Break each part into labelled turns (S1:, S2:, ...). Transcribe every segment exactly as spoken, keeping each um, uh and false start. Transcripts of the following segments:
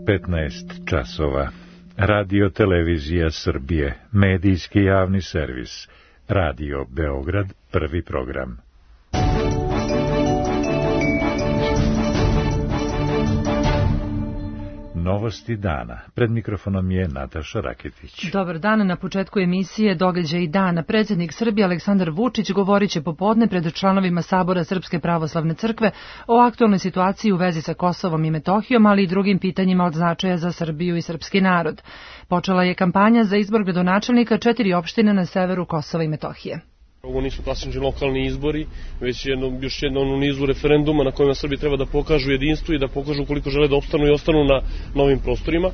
S1: petnaest časova. Radio Televizija Srbije, medijski javni servis. Radio Beograd, prvi program. Novosti dana. Pred mikrofonom je Nataša Raketić.
S2: Dobar dan. Na početku emisije Događaji dana. Predsjednik Srbije Aleksandar Vučić govorit će popodne pred članovima Sabora Srpske pravoslavne crkve o aktualnoj situaciji u vezi sa Kosovom i Metohijom, ali i drugim pitanjima od značaja za Srbiju i srpski narod. Počela je kampanja za izbor gradonačelnika četiri opštine na severu Kosova i Metohije.
S3: Ovo nisu klasični lokalni izbori, već jedno, još jedno u nizu referenduma na kojima Srbi treba da pokažu jedinstvo i da pokažu koliko žele da opstanu i ostanu na novim prostorima.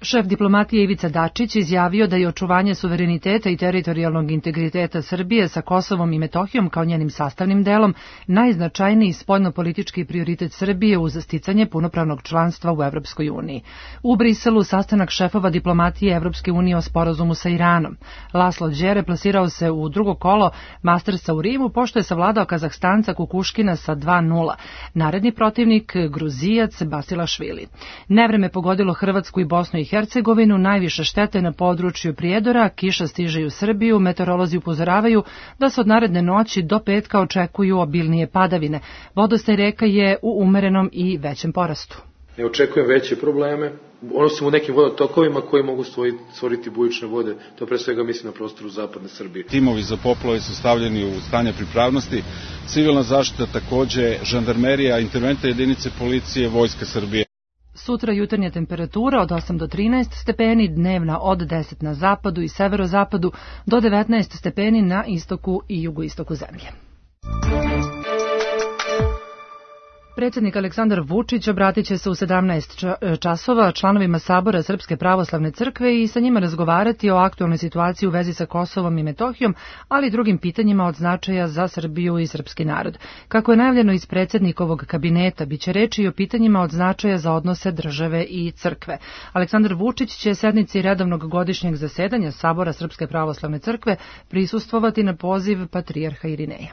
S2: Šef diplomatije Ivica Dačić izjavio da je očuvanje suvereniteta i teritorijalnog integriteta Srbije sa Kosovom i Metohijom kao njenim sastavnim delom najznačajniji spoljnopolitički prioritet Srbije uz sticanje punopravnog članstva u Evropskoj uniji. U Briselu sastanak šefova diplomatije Evropske unije o sporazumu sa Iranom. Laslo Đere plasirao se u drugo kolo Mastersa u Rimu, pošto je savladao Kazahstanca Kukuškina sa dva nula. Naredni protivnik Gruzijac Basilašvili. Nevreme pogodilo Hrvatsku i Bosnu i Hercegovinu, najviše štete na području Prijedora, kiša stiže u Srbiju, meteorolozi upozoravaju da se od naredne noći do petka očekuju obilnije padavine. Vodostaj reka je u umerenom i većem porastu.
S4: Ne očekujem veće probleme, osim u nekim vodotokovima koji mogu stvoriti bujične vode, to pre svega mislim na prostoru zapadne Srbije.
S5: Timovi za poplave su stavljeni u stanje pripravnosti, civilna zaštita takođe, žandarmerija, interventne jedinice policije, Vojska Srbije.
S2: Sutra jutarnja temperatura od osam do trinaest stepeni, dnevna od deset na zapadu i severozapadu do devetnaest stepeni na istoku i jugoistoku zemlje. Predsjednik Aleksandar Vučić obratit će se u sedamnaest časova članovima Sabora Srpske pravoslavne crkve i sa njima razgovarati o aktualnoj situaciji u vezi sa Kosovom i Metohijom, ali i drugim pitanjima od značaja za Srbiju i srpski narod. Kako je najavljeno iz predsjednikovog kabineta, bit će reči i o pitanjima od značaja za odnose države i crkve. Aleksandar Vučić će sednici redovnog godišnjeg zasedanja Sabora Srpske pravoslavne crkve prisustvovati na poziv patrijarha Irineja.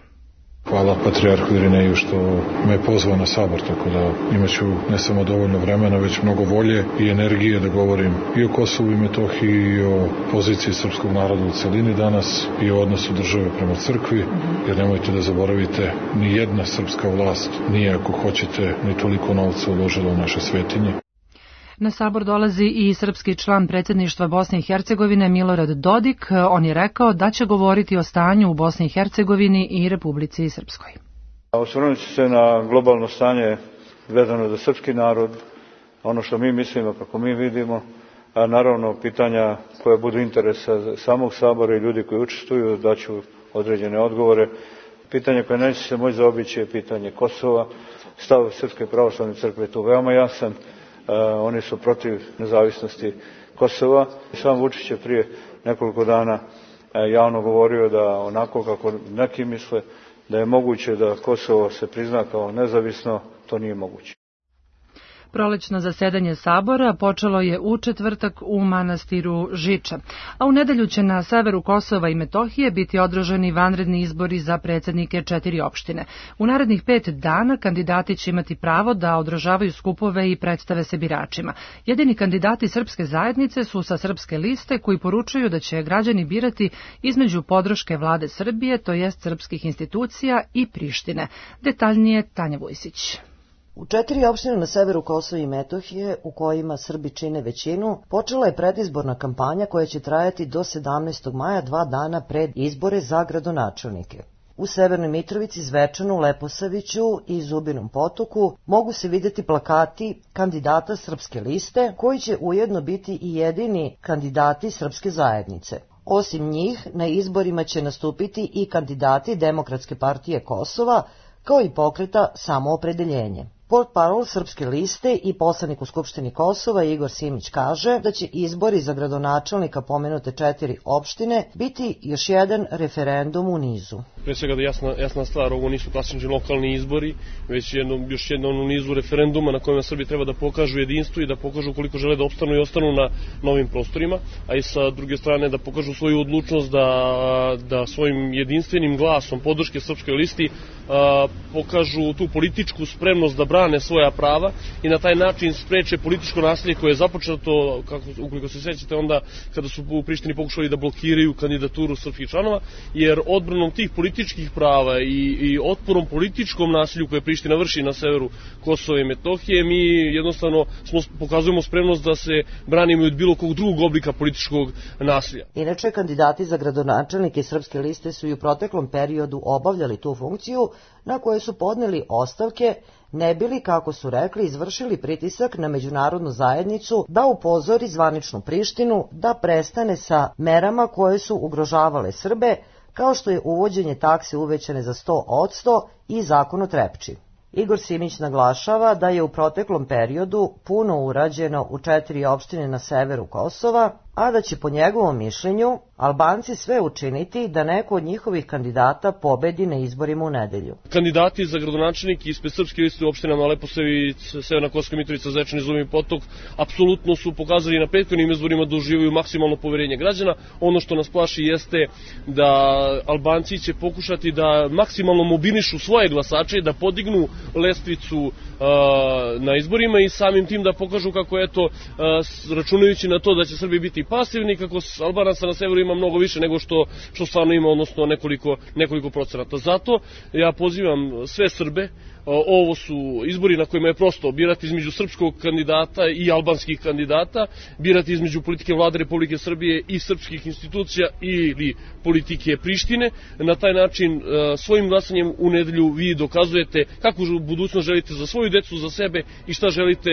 S6: Hvala patrijarhu Irineju što me je pozvao na sabor, tako da imaću ne samo dovoljno vremena, već mnogo volje i energije da govorim i o Kosovu i Metohiji, i o poziciji srpskog naroda u celini danas, i o odnosu države prema crkvi, jer nemojte da zaboravite, ni jedna srpska vlast nije, ako hoćete, ni toliko novca uložila u naše svetinje.
S2: Na sabor dolazi i srpski član predsjedništva Bosne i Hercegovine Milorad Dodik. On je rekao da će govoriti o stanju u Bosni i Hercegovini i Republici Srpskoj.
S7: Osvrnut ću se na globalno stanje vezano za srpski narod, ono što mi mislimo, kako mi vidimo, a naravno pitanja koje budu interesa samog sabora i ljudi koji učestvuju, daću određene odgovore. Pitanje koje neće se moći zaobići je pitanje Kosova. Stav Srpske pravoslavne crkve je tu veoma jasan. Uh, oni su protiv nezavisnosti Kosova. Sam Vučić je prije nekoliko dana uh, javno govorio da onako kako neki misle da je moguće da Kosovo se prizna kao nezavisno, to nije moguće.
S2: Prolećno zasedanje Sabora počelo je u četvrtak u manastiru Žiča, a u nedelju će na severu Kosova i Metohije biti održani vanredni izbori za predsjednike četiri opštine. U narednih pet dana kandidati će imati pravo da održavaju skupove i predstave se biračima. Jedini kandidati srpske zajednice su sa srpske liste koji poručuju da će građani birati između podrške vlade Srbije, to jest srpskih institucija, i Prištine. Detaljnije Tanja Vujsić.
S8: U četiri opštine na severu Kosova i Metohije, u kojima Srbi čine većinu, počela je predizborna kampanja koja će trajati do sedamnaestog maja, dva dana pred izbore za gradonačelnike. U Severnoj Mitrovici, Zvečanu, Leposaviću i Zubinom Potoku mogu se vidjeti plakati kandidata srpske liste, koji će ujedno biti i jedini kandidati srpske zajednice. Osim njih, na izborima će nastupiti i kandidati Demokratske partije Kosova, kao i pokreta Samoopredeljenje. Portparol Srpske liste i poslanik u Skupštini Kosova Igor Simić kaže da će izbori za gradonačelnika pomenute četiri opštine biti još jedan referendum u nizu.
S3: Pre svega da jasna, jasna stvar, ovo nisu klasični lokalni izbori, već jedno, još jedno u nizu referenduma na kojima Srbi treba da pokažu jedinstvo i da pokažu koliko žele da opstanu i ostanu na novim prostorima, a i sa druge strane da pokažu svoju odlučnost da, da svojim jedinstvenim glasom podrške Srpskoj listi a, pokažu tu političku spremnost da brane brane svoja prava i na taj način spreče političko nasilje koje je započeto, kako, ukoliko se sjećate, onda kada su u Prištini pokušali da blokiraju kandidaturu srpskih članova, jer odbranom tih političkih prava i, i otporom političkom nasilju koje Priština vrši na severu Kosova i Metohije, mi jednostavno smo, pokazujemo spremnost da se branimo od bilo kog drugog oblika političkog nasilja.
S8: Inače, kandidati za gradonačelnike Srpske liste su i u proteklom periodu obavljali tu funkciju, na koje su podneli ostavke, ne bili, kako su rekli, izvršili pritisak na međunarodnu zajednicu da upozori zvaničnu Prištinu da prestane sa merama koje su ugrožavale Srbe, kao što je uvođenje takse uvećane za sto posto i zakon o Trepči. Igor Simić naglašava da je u proteklom periodu puno urađeno u četiri opštine na severu Kosova, a da će po njegovom mišljenju Albanci sve učiniti da neko od njihovih kandidata pobedi na izborima u nedelju.
S3: Kandidati za gradonačelnike ispred Srpske liste u opštinama Leposavić, Severna Kosovska Mitrovica, Zečani, Zubin Potok apsolutno su pokazali na prethodnim izborima da uživaju maksimalno poverenje građana. Ono što nas plaši jeste da Albanci će pokušati da maksimalno mobilišu svoje glasače, da podignu lestvicu uh, na izborima i samim tim da pokažu kako, eto, uh, računajući na to da će Srbi biti pasivni, kako Albanaca na severu ima mnogo više nego što, što stvarno ima, odnosno nekoliko, nekoliko procenata. Zato ja pozivam sve Srbe, ovo su izbori na kojima je prosto birati između srpskog kandidata i albanskih kandidata, birati između politike vlade Republike Srbije i srpskih institucija ili politike Prištine. Na taj način svojim glasanjem u nedelju vi dokazujete kakvu budućnost želite za svoju decu, za sebe i šta želite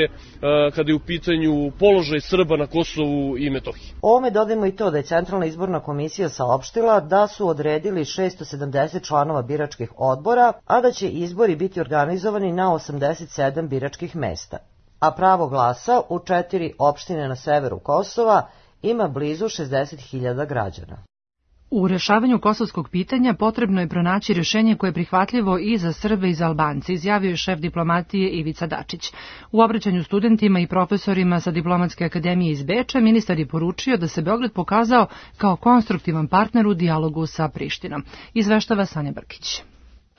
S3: kada je u pitanju položaj Srba na Kosovu i Metohiji.
S8: Ovome dodajmo i to da je Centralna izborna komisija saopštila da su odredili šesto sedamdeset članova biračkih odbora, a da će izbori biti organizovani na osamdeset sedam biračkih mesta. A pravo glasa u četiri opštine na severu Kosova ima blizu šezdeset hiljada građana.
S2: U rešavanju kosovskog pitanja potrebno je pronaći rješenje koje je prihvatljivo i za Srbe i za Albance, izjavio je šef diplomatije Ivica Dačić. U obraćanju studentima i profesorima sa Diplomatske akademije iz Beča ministar je poručio da se Beograd pokazao kao konstruktivan partner u dijalogu sa Prištinom. Izveštava Sanja Brkić.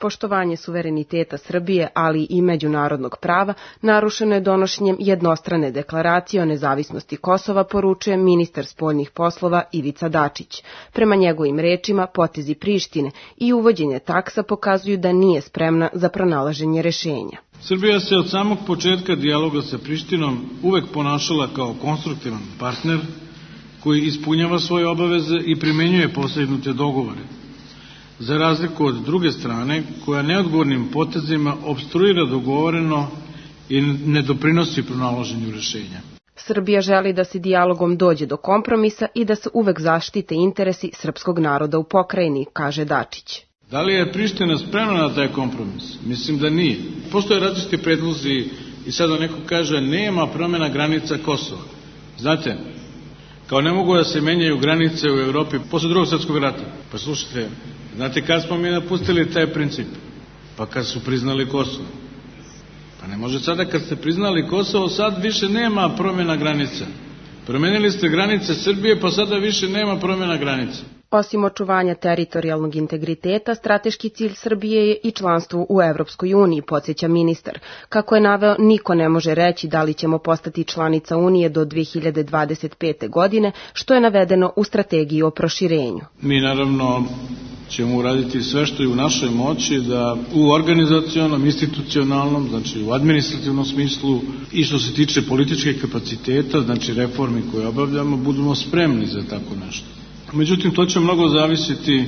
S9: Poštovanje suvereniteta Srbije, ali i međunarodnog prava, narušeno je donošenjem jednostrane deklaracije o nezavisnosti Kosova, poručuje ministar spoljnih poslova Ivica Dačić. Prema njegovim rečima, potezi Prištine i uvođenje taksa pokazuju da nije spremna za pronalaženje rešenja.
S10: Srbija se od samog početka dijaloga sa Prištinom uvek ponašala kao konstruktivan partner koji ispunjava svoje obaveze i primenjuje postignute dogovore, za razliku od druge strane, koja neodgovornim potezima opstruira dogovoreno i ne doprinosi pronalaženju rešenja.
S9: Srbija želi da se dijalogom dođe do kompromisa i da se uvek zaštite interesi srpskog naroda u pokrajini, kaže Dačić.
S10: Da li je Priština spremna na taj kompromis? Mislim da nije. Postoje različiti predlozi i sada neko kaže nema promjena granica Kosova. Znate, kao ne mogu da se menjaju granice u Evropi posle drugog svjetskog rata. Pa slušajte, znate kad smo mi napustili taj princip? Pa kad su priznali Kosovo. Pa ne može sada kad ste priznali Kosovo, sad više nema promjena granica. Promenili ste granice Srbije, pa sada više nema promjena granica.
S9: Osim očuvanja teritorijalnog integriteta, strateški cilj Srbije je i članstvo u Evropskoj uniji, podsjeća ministar. Kako je naveo, niko ne može reći da li ćemo postati članica Unije do dve hiljade dvadeset pete. godine, što je navedeno u strategiji o proširenju.
S10: Mi naravno ćemo uraditi sve što je u našoj moći da u organizacionom, institucionalnom, znači u administrativnom smislu i što se tiče političkih kapaciteta, znači reformi koje obavljamo, budemo spremni za tako nešto. Međutim, to će mnogo zavisiti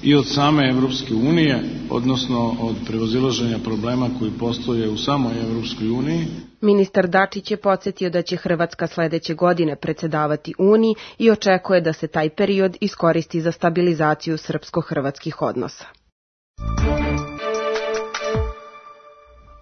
S10: i od same Evropske unije, odnosno od prevazilaženja problema koji postoje u samoj Evropskoj uniji.
S9: Ministar Dačić je podsjetio da će Hrvatska sledeće godine predsedavati Uniji i očekuje da se taj period iskoristi za stabilizaciju srpsko-hrvatskih odnosa.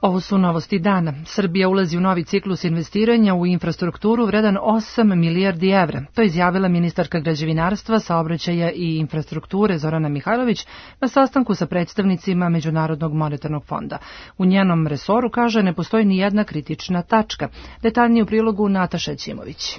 S2: Ovo su novosti dana. Srbija ulazi u novi ciklus investiranja u infrastrukturu vredan osam milijardi evra. To je izjavila ministarka građevinarstva, saobraćaja i infrastrukture Zorana Mihajlović na sastanku sa predstavnicima Međunarodnog monetarnog fonda. U njenom resoru, kaže, ne postoji ni jedna kritična tačka. Detaljnije u prilogu Nataša Ćimović.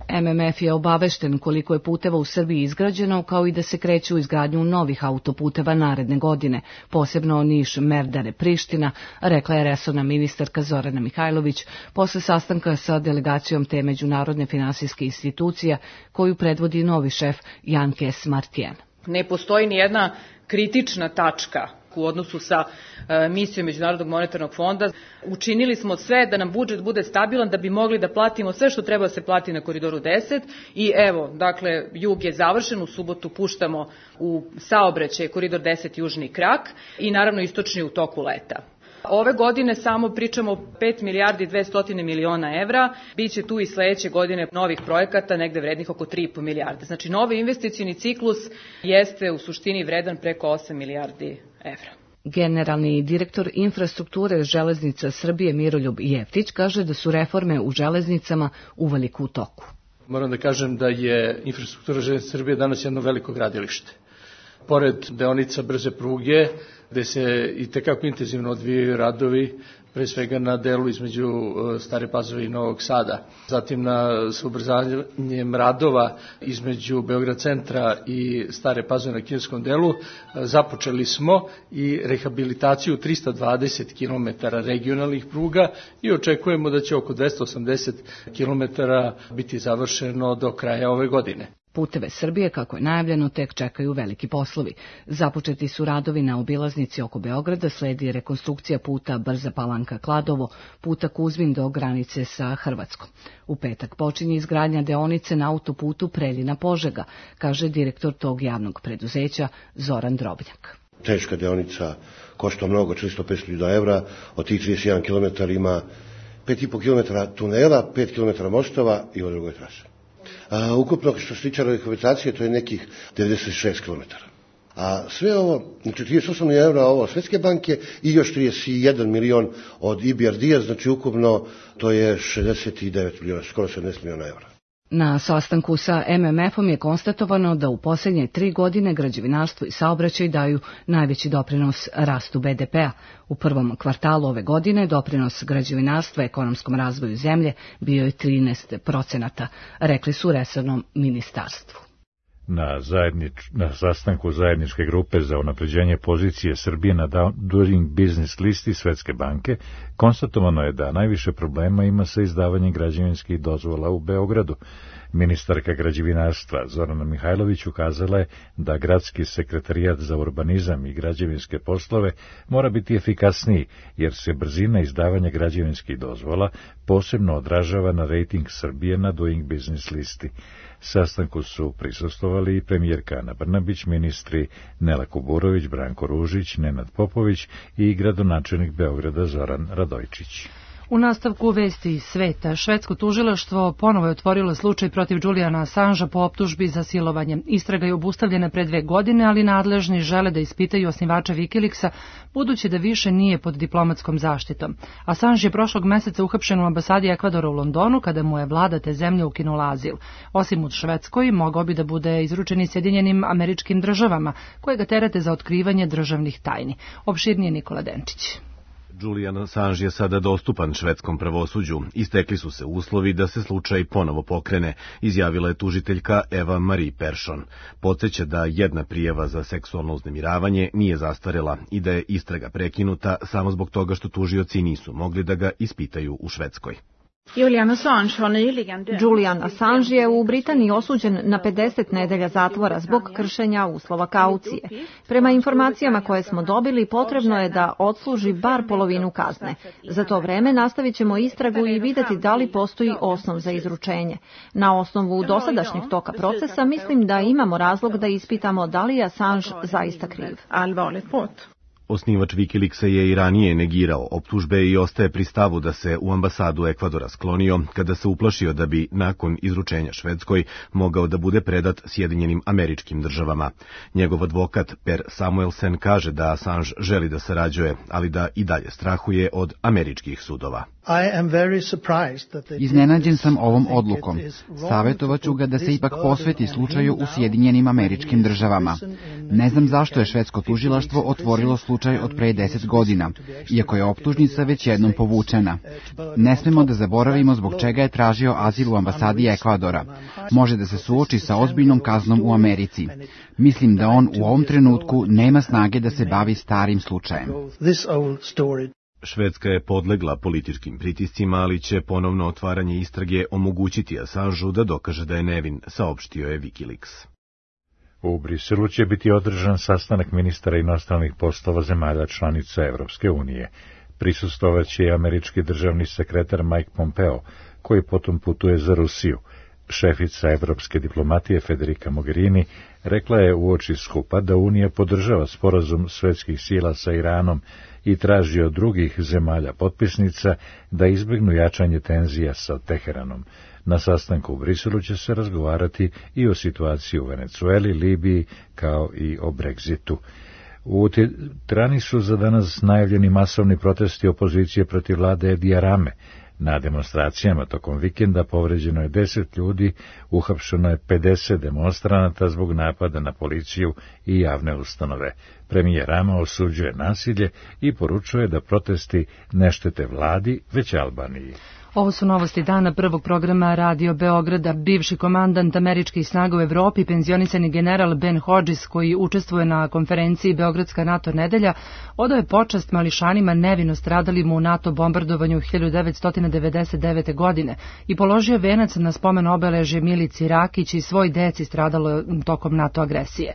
S2: M M F je obavešten koliko je puteva u Srbiji izgrađeno, kao i da se kreću u izgradnju novih autoputeva naredne godine, posebno Niš-Merdare-Priština, rekla je resorna ministarka Zorana Mihajlović posle sastanka sa delegacijom te međunarodne finansijske institucije koju predvodi novi šef Jan Kes Martien.
S11: Ne postoji ni jedna kritična tačka u odnosu sa e, misijom Međunarodnog monetarnog fonda. Učinili smo sve da nam budžet bude stabilan, da bi mogli da platimo sve što treba da se plati na Koridoru deset i evo, dakle, jug je završen, u subotu puštamo u saobraćaj Koridor deset južni krak i naravno istočni u toku leta. Ove godine samo pričamo o pet milijardi dvesta miliona evra, biće tu i sledeće godine novih projekata, negde vrednih oko tri i po milijarde. Znači, novi investicioni ciklus jeste u suštini vredan preko osam milijardi evra.
S2: Generalni direktor infrastrukture Železnica Srbije Miroljub Jeftić kaže da su reforme u železnicama uveliko u toku.
S12: Moram da kažem da je infrastruktura Železnice Srbije danas jedno veliko gradilište. Pored deonica brze pruge, gde se i tekako intenzivno odvijaju radovi, pre svega na delu između Stare Pazove i Novog Sada. Zatim na ubrzanjem radova između Beograd centra i Stare Pazove na kineskom delu započeli smo i rehabilitaciju trista dvadeset kilometara regionalnih pruga i očekujemo da će oko dvesta osamdeset kilometara biti završeno do kraja ove godine.
S2: Puteve Srbije, kako je najavljeno, tek čekaju veliki poslovi. Započeti su radovi na obilaznici oko Beograda, sledi rekonstrukcija puta Brza Palanka-Kladovo, puta Kuzmin do granice sa Hrvatskom. U petak počinje izgradnja deonice na autoputu Preljina-Požega, kaže direktor tog javnog preduzeća Zoran Drobnjak.
S13: Teška deonica košta mnogo, četiristo do petsto hiljada evra, od tih trideset jedan kilometar ima pet i po kilometara tunela, pet kilometara mostova i od drugoj trase. A, ukupno što se tiče rehabilitacije, to je nekih devedeset šest kilometara. A sve ovo, znači trideset osam miliona evra ovo Svetske banke i još trideset jedan milion od I B R D-a, znači ukupno to je šezdeset devet miliona, skoro sedamnaest miliona evra.
S2: Na sastanku sa M M F-om je konstatovano da u posljednje tri godine građevinarstvo i saobraćaj daju najveći doprinos rastu B D P-a. U prvom kvartalu ove godine doprinos građevinarstva ekonomskom razvoju zemlje bio je trinaest procenata, rekli su resornom ministarstvu.
S1: Na, zajednič, na sastanku zajedničke grupe za unapređenje pozicije Srbije na Doing Business listi Svetske banke konstatovano je da najviše problema ima sa izdavanjem građevinskih dozvola u Beogradu. Ministarka građevinarstva Zorana Mihajlović ukazala je da gradski sekretarijat za urbanizam i građevinske poslove mora biti efikasniji, jer se brzina izdavanja građevinskih dozvola posebno odražava na rejting Srbije na Doing Business listi. Sastanku su prisustvovali i premijerka Ana Brnabić, ministri Nela Kuburović, Branko Ružić, Nenad Popović i gradonačelnik Beograda Zoran Radojčić.
S2: U nastavku vesti iz sveta, švedsko tužilaštvo ponovo je otvorilo slučaj protiv Juliana Assangea po optužbi za silovanje. Istraga je obustavljena pre dve godine, ali nadležni žele da ispitaju osnivača Wikileaksa, budući da više nije pod diplomatskom zaštitom. Assange je prošlog meseca uhapšen u ambasadi Ekvadora u Londonu, kada mu je vlada te zemlje ukinula azil. Osim u Švedskoj, mogao bi da bude izručen i Sjedinjenim Američkim Državama, koje ga terete za otkrivanje državnih tajni. Opširnije Nikola Denčić.
S14: Julian Assange je sada dostupan švedskom pravosuđu. Istekli su se uslovi da se slučaj ponovo pokrene, izjavila je tužiteljka Eva Marie Persson. Podsjeća da jedna prijava za seksualno uznemiravanje nije zastarela i da je istraga prekinuta samo zbog toga što tužioci nisu mogli da ga ispitaju u Švedskoj.
S15: Julian Assange je u Britaniji osuđen na pedeset nedelja zatvora zbog kršenja uslova kaucije. Prema informacijama koje smo dobili, potrebno je da odsluži bar polovinu kazne. Za to vreme nastavit ćemo istragu i videti da li postoji osnov za izručenje. Na osnovu dosadašnjeg toka procesa mislim da imamo razlog da ispitamo da li je Assange zaista kriv.
S14: Osnivač Wikileaksa je i ranije negirao optužbe i ostaje pri stavu da se u ambasadu Ekvadora sklonio kada se uplašio da bi nakon izručenja Švedskoj mogao da bude predat Sjedinjenim Američkim Državama. Njegov advokat Per Samuelsen kaže da Assange želi da sarađuje, ali da i dalje strahuje od američkih sudova.
S16: Iznenađen sam ovom odlukom. Savjetovaću ga da se ipak posveti slučaju u Sjedinjenim Američkim Državama. Ne znam zašto je švedsko tužilaštvo otvorilo slučaj slučaj od pre deset godina, iako je optužnica već jednom povučena. Ne smemo da zaboravimo zbog čega je tražio azil u ambasadi Ekvadora. Može da se suoči sa ozbiljnom kaznom u Americi. Mislim da on u ovom trenutku nema snage da se bavi starim slučajem.
S14: Švedska je podlegla političkim pritiscima, ali će ponovno otvaranje istrage omogućiti Assangeu da dokaže da je nevin, saopštio je Wikileaks.
S1: U Briselu će biti održan sastanak ministara inostranih poslova zemalja članica Evropske unije. Prisustvovaće i američki državni sekretar Mike Pompeo, koji potom putuje za Rusiju. Šefica evropske diplomatije Federica Mogherini rekla je uoči skupa da Unija podržava sporazum svetskih sila sa Iranom i traži od drugih zemalja potpisnica da izbjegnu jačanje tenzija sa Teheranom. Na sastanku u Briselu će se razgovarati i o situaciji u Venecueli, Libiji, kao i o Brexitu. U Tirani su za danas najavljeni masovni protesti opozicije protiv vlade Edija Rame. Na demonstracijama tokom vikenda povređeno je deset ljudi, uhapšeno je pedeset demonstranata zbog napada na policiju i javne ustanove. Premijer Rama osuđuje nasilje i poručuje da protesti ne štete vladi, već Albaniji.
S2: Ovo su novosti dana prvog programa Radio Beograda. Bivši komandant američkih snaga u Evropi, penzionisani general Ben Hodges, koji učestvuje na konferenciji Beogradska NATO nedelja, odao je počast mališanima nevino stradalim u NATO bombardovanju hiljadu devetsto devedeset devete. godine i položio venac na spomen obeležje Milici Rakić i svoj deci stradalo tokom NATO agresije.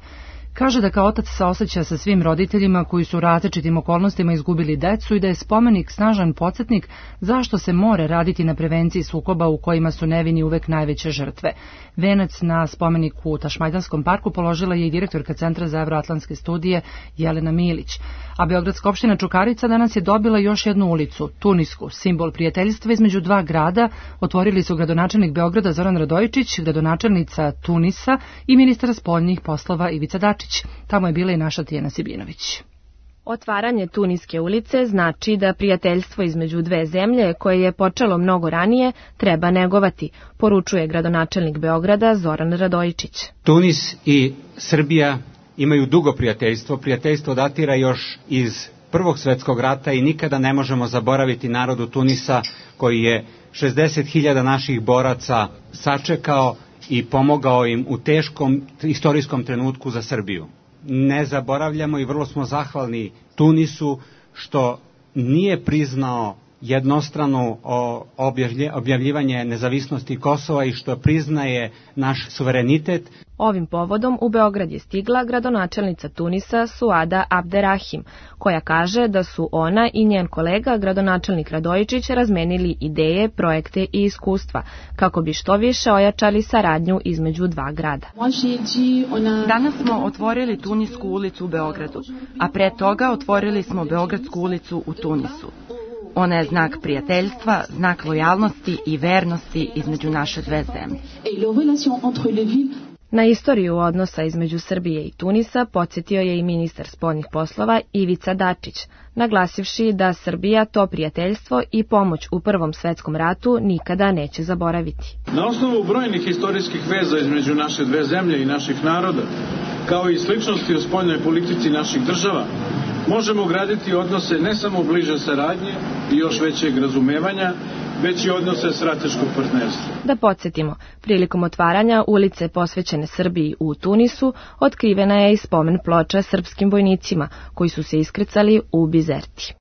S2: Kaže da kao otac saoseća sa svim roditeljima koji su u različitim okolnostima izgubili decu i da je spomenik snažan podsjetnik zašto se mora raditi na prevenciji sukoba u kojima su nevini uvek najveće žrtve. Venac na spomeniku u Tašmajdanskom parku položila je i direktorka Centra za evroatlantske studije Jelena Milić. A Beogradska opština Čukarica danas je dobila još jednu ulicu, Tunisku, simbol prijateljstva između dva grada. Otvorili su gradonačelnik Beograda Zoran Radojičić, gradonačelnica Tunisa i ministar spoljnih poslova Ivica Dačić. Tamo je bila i naša Tijana Sibinović.
S17: Otvaranje Tuniske ulice znači da prijateljstvo između dve zemlje, koje je počelo mnogo ranije, treba negovati, poručuje gradonačelnik Beograda Zoran Radojičić.
S18: Tunis i Srbija imaju dugo prijateljstvo. Prijateljstvo datira još iz Prvog svjetskog rata i nikada ne možemo zaboraviti narodu Tunisa koji je šezdeset hiljada naših boraca sačekao i pomogao im u teškom istorijskom trenutku za Srbiju. Ne zaboravljamo i vrlo smo zahvalni Tunisu što nije priznao jednostrano objavljivanje nezavisnosti Kosova i što priznaje naš suverenitet.
S17: Ovim povodom u Beograd je stigla gradonačelnica Tunisa Suada Abderrahim, koja kaže da su ona i njen kolega gradonačelnik Radojičić razmenili ideje, projekte i iskustva, kako bi što više ojačali saradnju između dva grada.
S19: Danas smo otvorili Tunisku ulicu u Beogradu, a pre toga otvorili smo Beogradsku ulicu u Tunisu. Ona je znak prijateljstva, znak lojalnosti i vernosti između naše dve zemlje.
S17: Na istoriju odnosa između Srbije i Tunisa podsjetio je i ministar spoljnih poslova Ivica Dačić, naglasivši da Srbija to prijateljstvo i pomoć u Prvom svetskom ratu nikada neće zaboraviti.
S10: Na osnovu brojnih istorijskih veza između naše dve zemlje i naših naroda, kao i sličnosti u spoljnoj politici naših država, možemo graditi odnose ne samo bliže saradnje i još većeg razumevanja, već i odnose strateškog partnerstva.
S17: Da podsjetimo, prilikom otvaranja ulice posvećene Srbiji u Tunisu, otkrivena je i spomen ploča srpskim vojnicima koji su se iskrcali u Bizerti.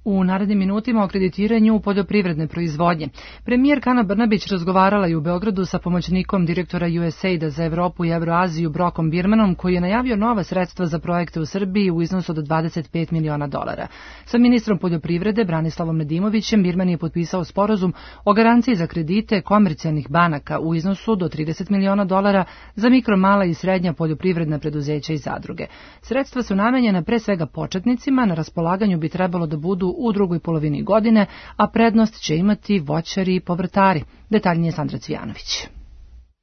S2: U narednim minutima o kreditiranju poljoprivredne proizvodnje. Premijerka Ana Brnabić razgovarala i u Beogradu sa pomoćnikom direktora U S A I D-a za Evropu i Evroaziju Brokom Birmanom, koji je najavio nova sredstva za projekte u Srbiji u iznosu od dvadeset pet miliona dolara. Sa ministrom poljoprivrede Branislavom Nedimovićem Birman je potpisao sporazum o garanciji za kredite komercijalnih banaka u iznosu do trideset miliona dolara za mikro, mala i srednja poljoprivredna preduzeća i zadruge. Sredstva su namenjena pre svega početnicima, na raspolaganju bi trebalo da budu u drugoj polovini godine, a prednost će imati voćari i povrtari. Detaljnije Sandra Cvijanović.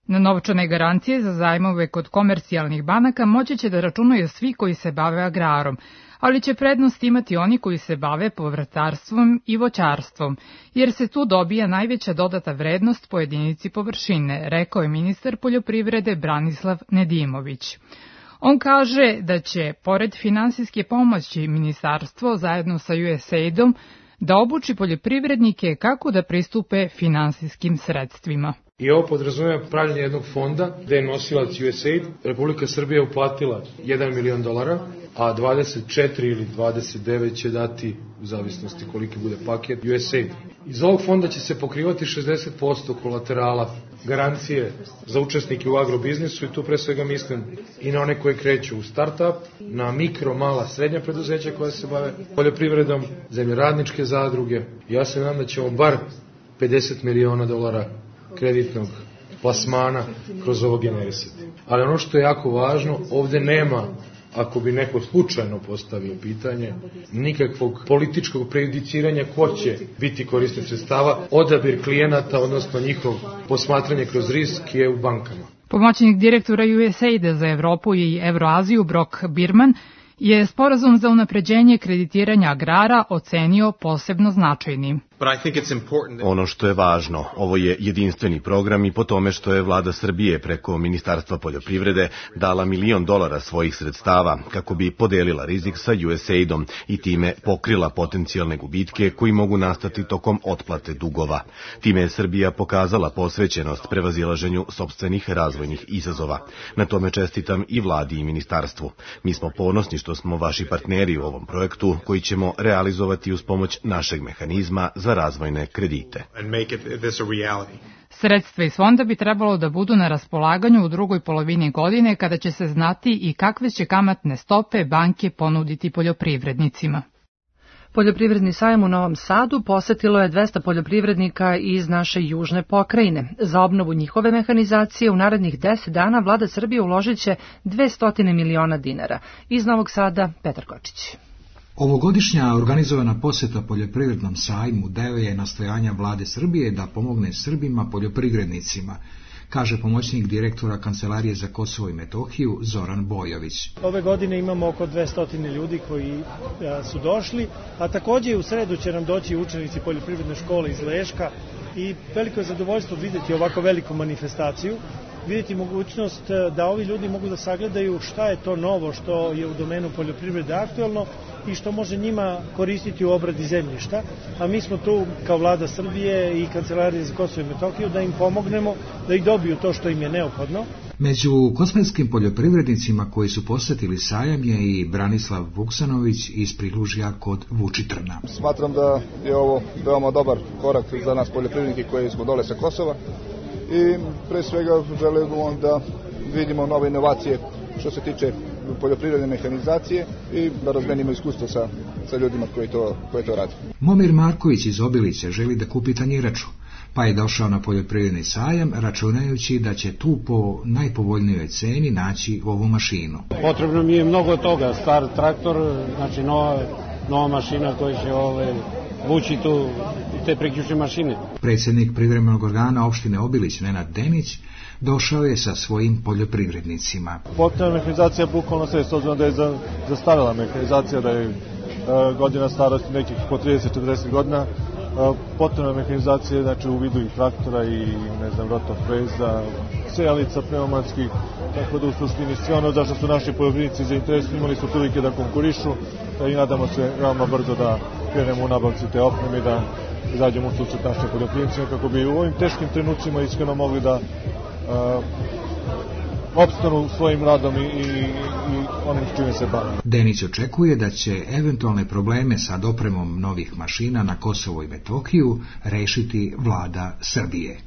S20: Na novčane garancije za zajmove kod komercijalnih banaka moći će da računaju svi koji se bave agrarom, ali će prednost imati oni koji se bave povrtarstvom i voćarstvom, jer se tu dobija najveća dodata vrednost po jedinici površine, rekao je ministar poljoprivrede Branislav Nedimović. On kaže da će, pored finansijske pomoći, ministarstvo zajedno sa U S A I D-om da obuči poljoprivrednike kako da pristupe finansijskim sredstvima.
S4: I ovo podrazumeva pravljenje jednog fonda gde je nosilac U S A I D. Republika Srbija uplatila jedan milion dolara, a dvadeset četiri ili dvadeset devet će dati, u zavisnosti koliki bude paket, U S A I D. Iz ovog fonda će se pokrivati šezdeset posto kolaterala, garancije za učesnike u agrobiznisu i tu pre svega mislim i na one koje kreću u start-up, na mikro, mala, srednja preduzeća koja se bave poljoprivredom, zemljoradničke zadruge. Ja se nadam da ćemo bar pedeset miliona dolara kreditnog plasmana kroz ovo generisati. Ali ono što je jako važno, ovde nema, ako bi neko slučajno postavio pitanje, nikakvog političkog prejudiciranja ko će biti korisnik sredstava. Odabir klijenata, odnosno njihov posmatranje kroz risk je u bankama.
S20: Pomoćnik direktora U S A I D-a za Evropu i Evroaziju Brock Birman je sporazum za unapređenje kreditiranja agrara ocenio posebno značajnim.
S14: Ono što je važno, ovo je jedinstveni program i po tome što je vlada Srbije preko Ministarstva poljoprivrede dala milion dolara svojih sredstava kako bi podelila rizik sa U S A I D-om i time pokrila potencijalne gubitke koji mogu nastati tokom otplate dugova. Time je Srbija pokazala posvećenost prevazilaženju sopstvenih razvojnih izazova. Na tome čestitam i vladi i ministarstvu. Mi smo ponosni što smo vaši partneri u ovom projektu koji ćemo realizovati uz pomoć našeg mehanizma za razvojne kredite.
S20: Sredstva iz fonda bi trebalo da budu na raspolaganju u drugoj polovini godine kada će se znati i kakve će kamatne stope banke ponuditi poljoprivrednicima.
S2: Poljoprivredni sajam u Novom Sadu posetilo je dvesta poljoprivrednika iz naše južne pokrajine. Za obnovu njihove mehanizacije u narednih deset dana vlada Srbije uložit će dvesta miliona dinara. Iz Novog Sada, Petar Kočić.
S21: Ovogodišnja organizovana poseta poljoprivrednom sajmu deo je nastojanja vlade Srbije da pomogne Srbima poljoprivrednicima, kaže pomoćnik direktora Kancelarije za Kosovo i Metohiju Zoran Bojović.
S22: Ove godine imamo oko dvesta ljudi koji su došli, a takođe u sredu će nam doći učenici poljoprivredne škole iz Leška i veliko je zadovoljstvo videti ovako veliku manifestaciju, vidjeti mogućnost da ovi ljudi mogu da sagledaju šta je to novo što je u domenu poljoprivrede aktuelno i što može njima koristiti u obradi zemljišta, a mi smo tu kao vlada Srbije i Kancelarije za Kosovo i Metohiju da im pomognemo da ih dobiju to što im je neophodno.
S21: Među kosmetskim poljoprivrednicima koji su posetili sajam je i Branislav Vuksanović iz Prilužja kod Vučitrna.
S23: Smatram da je ovo veoma dobar korak za nas poljoprivrednike koji smo dole sa Kosova i pre svega želimo da vidimo nove inovacije što se tiče poljoprivredne mehanizacije i da razmenimo iskustvo sa, sa ljudima koji to, koji to rade.
S21: Momir Marković iz Obilića želi da kupi tanjiraču, pa je došao na poljoprivredni sajam računajući da će tu po najpovoljnijoj ceni naći ovu mašinu.
S24: Potrebno mi je mnogo toga, star traktor, znači nova, nova mašina koja će ove, vući tu te priključne mašine.
S21: Predsjednik privremenog organa opštine Obilić Nenad Denić došao je sa svojim poljoprivrednicima.
S25: Potrebna mehanizacija je bukvalno sve, s obzirom da je zastarela mehanizacija, da je e, godina starosti nekih po trideset do četrdeset godina. E, potrebna mehanizacija, znači u vidu i traktora i ne znam, rotofreza, sejalica pneumatskih, tako da u suštini sve ono zašto su naši poljoprivrednici zainteresovani, imali su prilike da konkurišu i nadamo se veoma brzo da krenemo u nabavci te opreme i da izađemo u susret našim poljoprivrednicima kako bi u ovim teškim trenucima iskreno mogli da uh, opstanu svojim radom i, i, i onim s čime se bave.
S21: Denić očekuje da će eventualne probleme sa dopremom novih mašina na Kosovo i Metohiju rešiti vlada Srbije.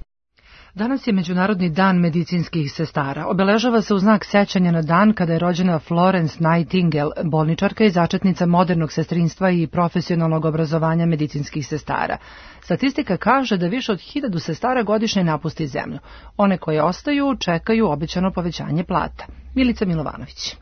S2: Danas je Međunarodni dan medicinskih sestara. Obeležava se u znak sećanja na dan kada je rođena Florence Nightingale, bolničarka i začetnica modernog sestrinstva i profesionalnog obrazovanja medicinskih sestara. Statistika kaže da više od hiljadu sestara godišnje napusti zemlju. One koje ostaju čekaju obećano povećanje plata. Milica Milovanović.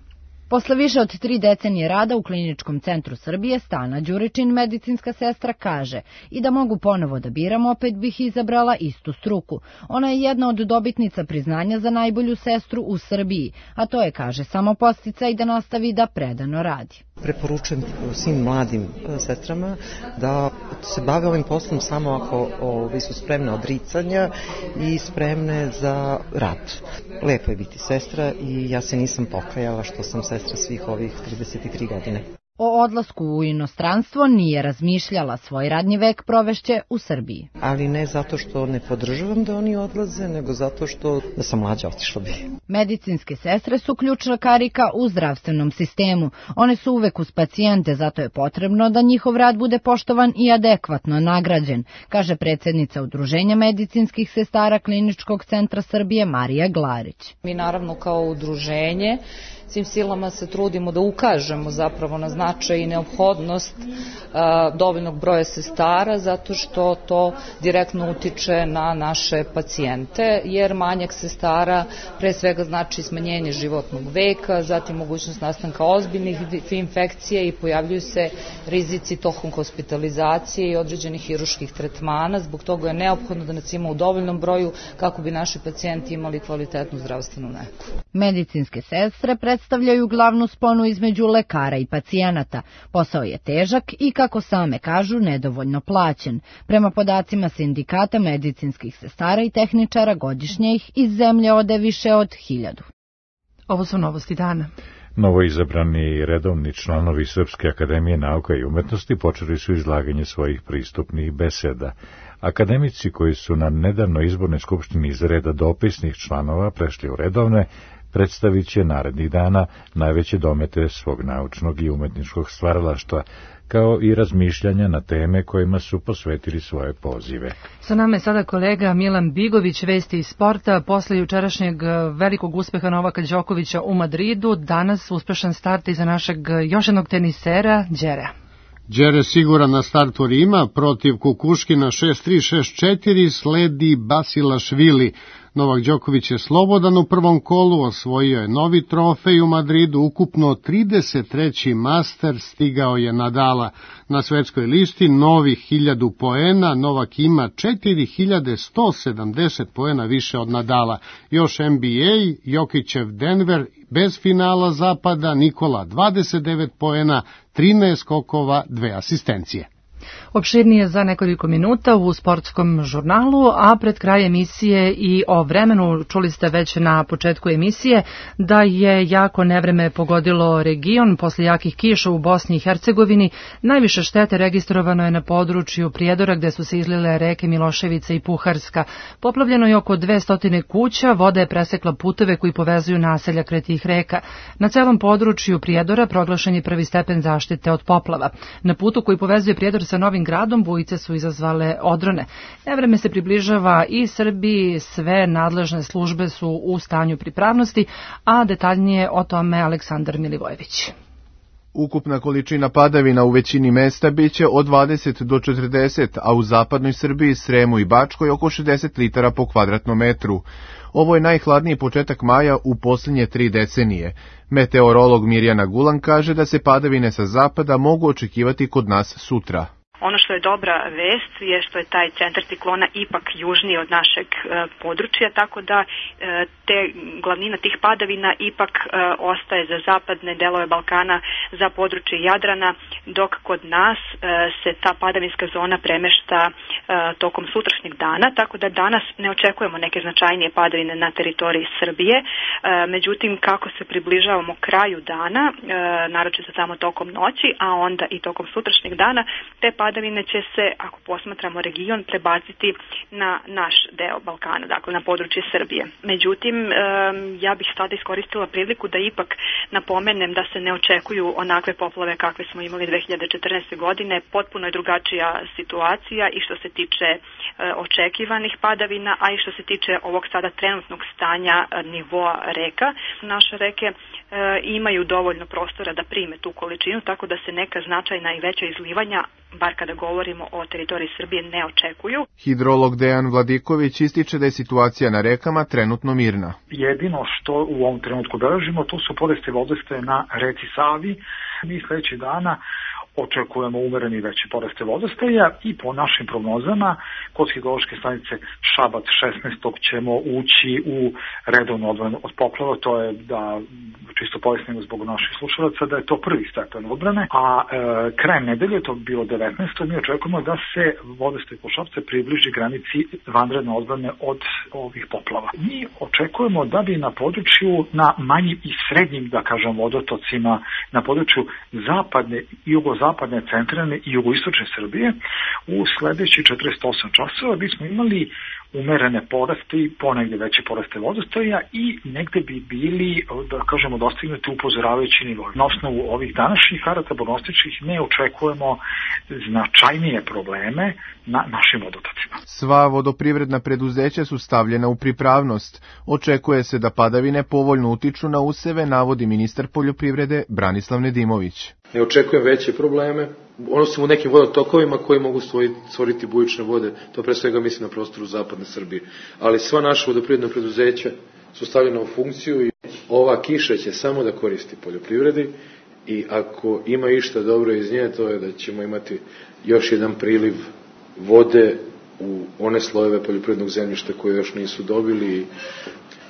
S26: Posle više od tri decenije rada u Kliničkom centru Srbije, Stana Đuričin, medicinska sestra, kaže i da mogu ponovo da biram, opet bih izabrala istu struku. Ona je jedna od dobitnica priznanja za najbolju sestru u Srbiji, a to je, kaže, samo podsticaj da nastavi da predano radi.
S3: Preporučujem svim mladim sestrama da se bave ovim poslom samo ako ovi su spremne odricanja i spremne za rad. Lepo je biti sestra i ja se nisam pokajala što sam sestra svih ovih trideset tri godine.
S26: O odlasku u inostranstvo nije razmišljala, svoj radni vek provešće u Srbiji.
S3: Ali ne zato što ne podržavam da oni odlaze, nego zato što da sam mlađa otišla bi.
S26: Medicinske sestre su ključna karika u zdravstvenom sistemu. One su uvek uz pacijente, zato je potrebno da njihov rad bude poštovan i adekvatno nagrađen, kaže predsjednica Udruženja medicinskih sestara Kliničkog centra Srbije Marija Glarić.
S5: Mi naravno kao udruženje svim silama se trudimo da ukažemo zapravo na značaj i neophodnost a, dovoljnog broja sestara, zato što to direktno utiče na naše pacijente, jer manjak sestara pre svega znači smanjenje životnog veka, zatim mogućnost nastanka ozbiljnih infekcija i pojavljuju se rizici tokom hospitalizacije i određenih hiruških tretmana. Zbog toga je neophodno da nas ima u dovoljnom broju kako bi naši pacijenti imali kvalitetnu zdravstvenu negu.
S26: Medicinske sestre predstavljaju glavnu sponu između lekara i pacijenata. Posao je težak i, kako same kažu, nedovoljno plaćen. Prema podacima sindikata medicinskih sestara i tehničara, godišnje ih iz zemlje ode više od hiljadu.
S2: Ovo su novosti dana.
S1: Novoizabrani redovni članovi Srpske akademije nauka i umetnosti počeli su izlaganje svojih pristupnih beseda. Akademici koji su na nedavno izbornoj skupštini iz reda dopisnih članova prešli u redovne, predstavit će narednih dana najveće domete svog naučnog i umetničkog stvaralaštva, kao i razmišljanja na teme kojima su posvetili svoje pozive.
S2: Sa nama je sada kolega Milan Bigović, vesti iz sporta. Posle jučerašnjeg velikog uspeha Novaka Đokovića u Madridu, danas uspešan start iza našeg još jednog tenisera, Đerea.
S6: Đere siguran na startu Rima, protiv Kukuškina šest tri šest četiri, sledi Basilašvili. Novak Đoković je slobodan u prvom kolu, osvojio je novi trofej u Madridu, ukupno trideset treći master, stigao je Nadala. Na svetskoj listi novih hiljadu poena, Novak ima četiri hiljade sto sedamdeset poena više od Nadala. Još N B A, Jokićev Denver bez finala zapada, Nikola dvadeset devet poena, trinaest skokova, dve asistencije.
S2: Opširnije za nekoliko minuta u sportskom žurnalu, a pred kraj emisije i o vremenu. Čuli ste već na početku emisije da je jako nevreme pogodilo region posle jakih kiša u Bosni i Hercegovini. Najviše štete registrovano je na području Prijedora, gde su se izlile reke Miloševica i Puharska. Poplavljeno je oko dvesta kuća, voda je presekla puteve koji povezuju naselja kraj tih reka. Na celom području Prijedora proglašen je prvi stepen zaštite od poplava. Na putu koji povezuje Prijedor sa Novim Gradom bujice su izazvale odrone. Nevreme se približava i Srbiji, sve nadležne službe su u stanju pripravnosti, a detaljnije o tome Aleksandar Milivojević.
S7: Ukupna količina padavina u većini mesta biće od dvadeset do četrdeset, a u zapadnoj Srbiji, Sremu i Bačkoj oko šezdeset litara po kvadratnom metru. Ovo je najhladniji početak maja u posljednje tri decenije. Meteorolog Mirjana Gulan kaže da se padavine sa zapada mogu očekivati kod nas sutra.
S8: Ono što je dobra vest je što je taj centar ciklona ipak južniji od našeg e, područja, tako da e, te glavnina tih padavina ipak e, ostaje za zapadne delove Balkana, za područje Jadrana, dok kod nas e, se ta padavinska zona premešta e, tokom sutrašnjeg dana, tako da danas ne očekujemo neke značajnije padavine na teritoriji Srbije. E, međutim, kako se približavamo kraju dana, e, naročito samo tokom noći, a onda i tokom sutrašnjeg dana, te padavine padavine će se, ako posmatramo region, prebaciti na naš deo Balkana, dakle na područje Srbije. Međutim, ja bih sada iskoristila priliku da ipak napomenem da se ne očekuju onakve poplave kakve smo imali dve hiljade četrnaeste. godine. Potpuno je drugačija situacija i što se tiče očekivanih padavina, a i što se tiče ovog sada trenutnog stanja nivoa reka. Naše reke imaju dovoljno prostora da prime tu količinu, tako da se neka značajna i veća izlivanja, bar kada govorimo o teritoriji Srbije, ne očekuju.
S7: Hidrolog Dejan Vladiković ističe da je situacija na rekama trenutno mirna.
S9: Jedino što u ovom trenutku beležimo, to su poreste vodostaje na reci Savi. Mi sledećih dana očekujemo umereni veći poraste vodostaja i po našim prognozama kod hidrološke stanice Šabac šesnaestog ćemo ući u redovnu odbranu od poplava, to je da čisto pojasnimo zbog naših slušalaca da je to prvi stepen odbrane, a e, krajem nedelje, to bi bilo devetnaestog mi očekujemo da se vodostaj kod Šapca približi granici vanredne odbrane od ovih poplava. Mi očekujemo da bi na području, na manjim i srednjim, da kažem, vodotocima, na području zapadne, jugozapadne, centralne i jugoistočne Srbije u sledećih četrdeset osam časova bismo imali umerene poraste i ponegde veće poraste vodostaja i negde bi bili, da kažemo, dostignuti upozoravajući nivo. Na osnovu ovih današnjih karata prognostičkih ne očekujemo značajnije probleme na našim vodotocima.
S7: Sva vodoprivredna preduzeća su stavljena u pripravnost. Očekuje se da padavine povoljno utiču na useve, navodi ministar poljoprivrede Branislav Nedimović.
S4: Ne očekujem veće probleme, ono su u nekim vodotokovima koji mogu stvoriti bujične vode, to pre svega mislim na prostoru zapadne Srbije. Ali sva naša vodoprivredna preduzeća su stavljena u funkciju i ova kiša će samo da koristi poljoprivredi i ako ima išta dobro iz nje, to je da ćemo imati još jedan priliv vode u one slojeve poljoprivrednog zemljišta koje još nisu dobili i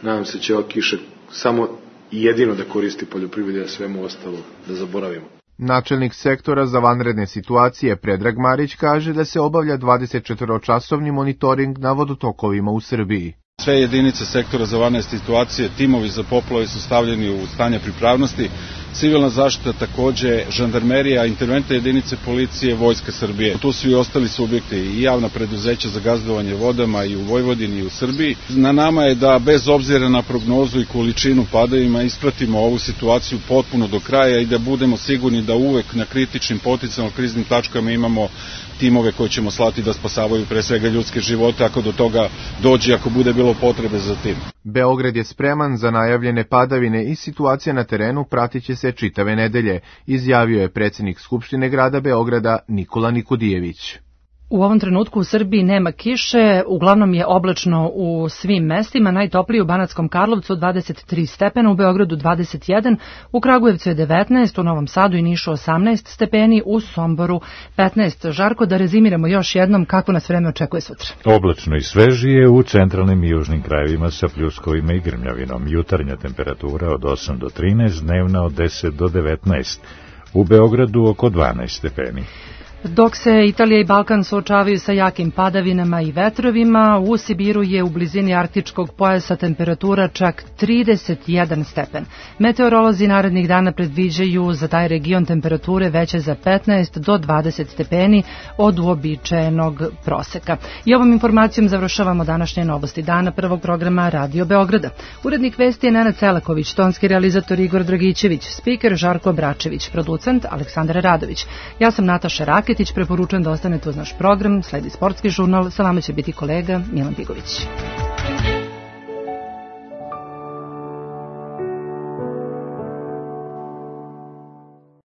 S4: nadam se će ova kiša samo i jedino da koristi poljoprivredi, a svemu ostalo da zaboravimo.
S7: Načelnik sektora za vanredne situacije Predrag Marić kaže da se obavlja dvadesetčetvoročasovni monitoring na vodotokovima u Srbiji.
S11: Sve jedinice sektora za vanredne situacije, timovi za poplave su stavljeni u stanje pripravnosti, civilna zaštita takođe, žandarmerija, interventne jedinice policije, Vojska Srbije. Tu su i ostali subjekti i javna preduzeća za gazdovanje vodama i u Vojvodini i u Srbiji. Na nama je da bez obzira na prognozu i količinu padavina ispratimo ovu situaciju potpuno do kraja i da budemo sigurni da uvek na kritičnim potencijalno kriznim tačkama imamo timove koji ćemo slati da spasavaju pre svega ljudske živote ako do toga dođe, ako bude bilo potrebe za tim.
S7: Beograd je spreman za najavljene padavine i situacija na terenu pratit će se čitave nedelje, izjavio je predsjednik Skupštine grada Beograda Nikola Nikodijević.
S2: U ovom trenutku u Srbiji nema kiše, uglavnom je oblačno u svim mestima, najtoplije u Banatskom Karlovcu dvadeset tri stepena, u Beogradu dvadeset jedan, u Kragujevcu je devetnaest, u Novom Sadu i Nišu osamnaest stepeni, u Somboru petnaest. Žarko, da rezimiramo još jednom kako nas vreme očekuje sutra.
S1: Oblačno i svežije u centralnim i južnim krajevima sa pljuskovima i grmljavinom. Jutarnja temperatura od osam do trinaest, dnevna od deset do devetnaest. U Beogradu oko dvanaest stepeni.
S2: Dok se Italija i Balkan suočavaju sa jakim padavinama i vetrovima, u Sibiru je u blizini arktičkog pojasa temperatura čak trideset jedan stepen. Meteorolozi narednih dana predviđaju za taj region temperature veće za petnaest do dvadeset stepeni od uobičajenog proseka. I ovom informacijom završavamo današnje novosti dana prvog programa Radio Beograda. Urednik vesti je Nenad Celaković, tonski realizator Igor Dragićević, spiker Žarko Bračević, producent Aleksandar Radović. Ja sam Nataša Rak. Preporučujem da ostanete uz naš program, sledi sportski žurnal, sa vama će biti kolega Milan Tigović.